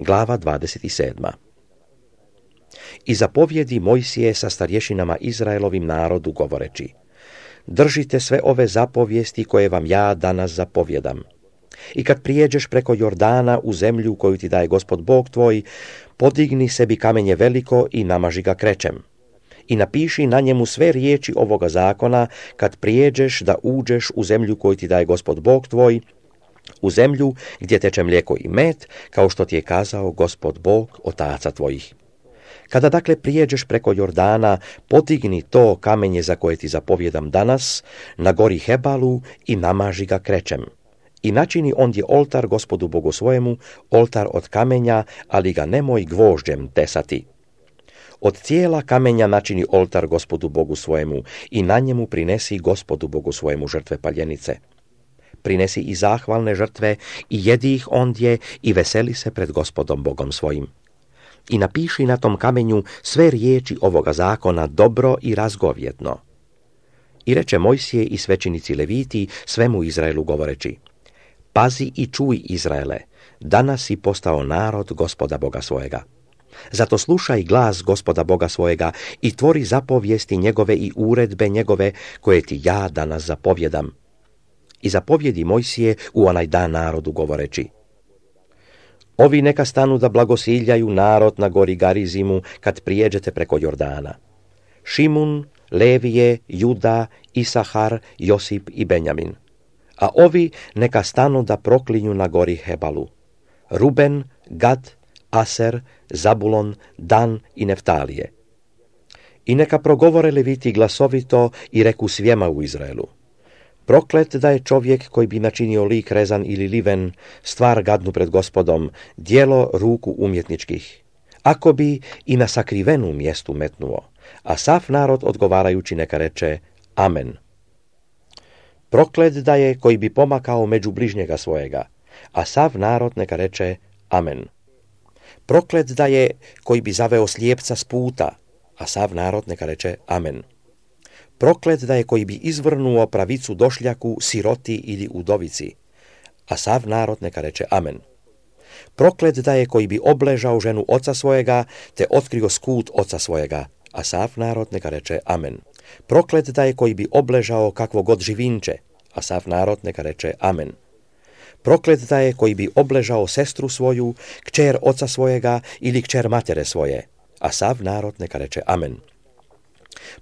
Glava 27. I zapovjedi Mojsije sa starješinama Izraelovim narodu govoreći: Držite sve ove zapovijesti koje vam ja danas zapovjedam. I kad prijeđeš preko Jordana u zemlju koju ti daje Gospod Bog tvoj, podigni sebi kamenje veliko i namaži ga krečem. I napiši na njemu sve riječi ovoga zakona kad prijeđeš da uđeš u zemlju koju ti daje Gospod Bog tvoj, u zemlju gdje teče mlijeko i med, kao što ti je kazao Gospod Bog otaca tvojih. Kada dakle prijeđeš preko Jordana, podigni to kamenje za koje ti zapovjedam danas, na gori Hebalu i namaži ga krečem. I načini ondje oltar Gospodu Bogu svojemu, oltar od kamenja, ali ga nemoj gvožđem tesati. Od cijela kamenja načini oltar Gospodu Bogu svojemu i na njemu prinesi Gospodu Bogu svojemu žrtve paljenice. Prinesi i zahvalne žrtve i jedi ih ondje i veseli se pred Gospodom Bogom svojim. I napiši na tom kamenju sve riječi ovoga zakona dobro i razgovjetno. I reče Mojsije i svećenici Leviti svemu Izraelu govoreći: Pazi i čuj, Izraele, danas si postao narod Gospoda Boga svojega. Zato slušaj glas Gospoda Boga svojega i tvori zapovijesti njegove i uredbe njegove koje ti ja danas zapovjedam. I zapovjedi Mojsije u onaj dan narodu govoreći: Ovi neka stanu da blagosiljaju narod na gori Garizimu kad prijeđete preko Jordana. Šimun, Levije, Juda, Isahar, Josip i Benjamin. A ovi neka stanu da proklinju na gori Hebalu. Ruben, Gad, Aser, Zabulon, Dan i Neftalije. I neka progovore Leviti glasovito i reku svijema u Izraelu: Proklet da je čovjek koji bi načinio lik rezan ili liven, stvar gadnu pred Gospodom, djelo ruku umjetničkih. Ako bi i na sakrivenu mjestu metnuo, a sav narod odgovarajući neka reče: Amen. Proklet da je koji bi pomakao među bližnjega svojega, a sav narod neka reče: Amen. Proklet da je koji bi zaveo slijepca s puta, a sav narod neka reče: Amen. Proklet da je koji bi izvrnuo pravicu došljaku, siroti ili udovici, a sav narod neka reče: Amen. Proklet da je koji bi obležao ženu oca svojega, te otkrio skut oca svojega, a sav narod neka reče: Amen. Proklet da je koji bi obležao kakvo god živinče, a sav narod neka reče: Amen. Proklet da je koji bi obležao sestru svoju, kćer oca svojega ili kćer matere svoje, a sav narod neka reče: Amen.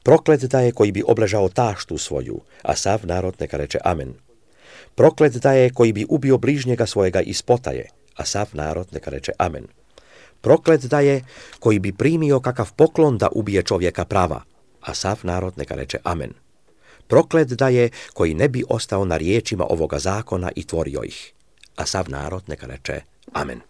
Proklet da je koji bi obležao taštu svoju, a sav narod neka reče: Amen. Proklet da je koji bi ubio bližnjega svojega iz potaje, a sav narod neka reče: Amen. Proklet da je koji bi primio kakav poklon da ubije čovjeka prava, a sav narod neka reče: Amen. Proklet da je koji ne bi ostao na riječima ovoga zakona i tvorio ih, a sav narod neka reče: Amen.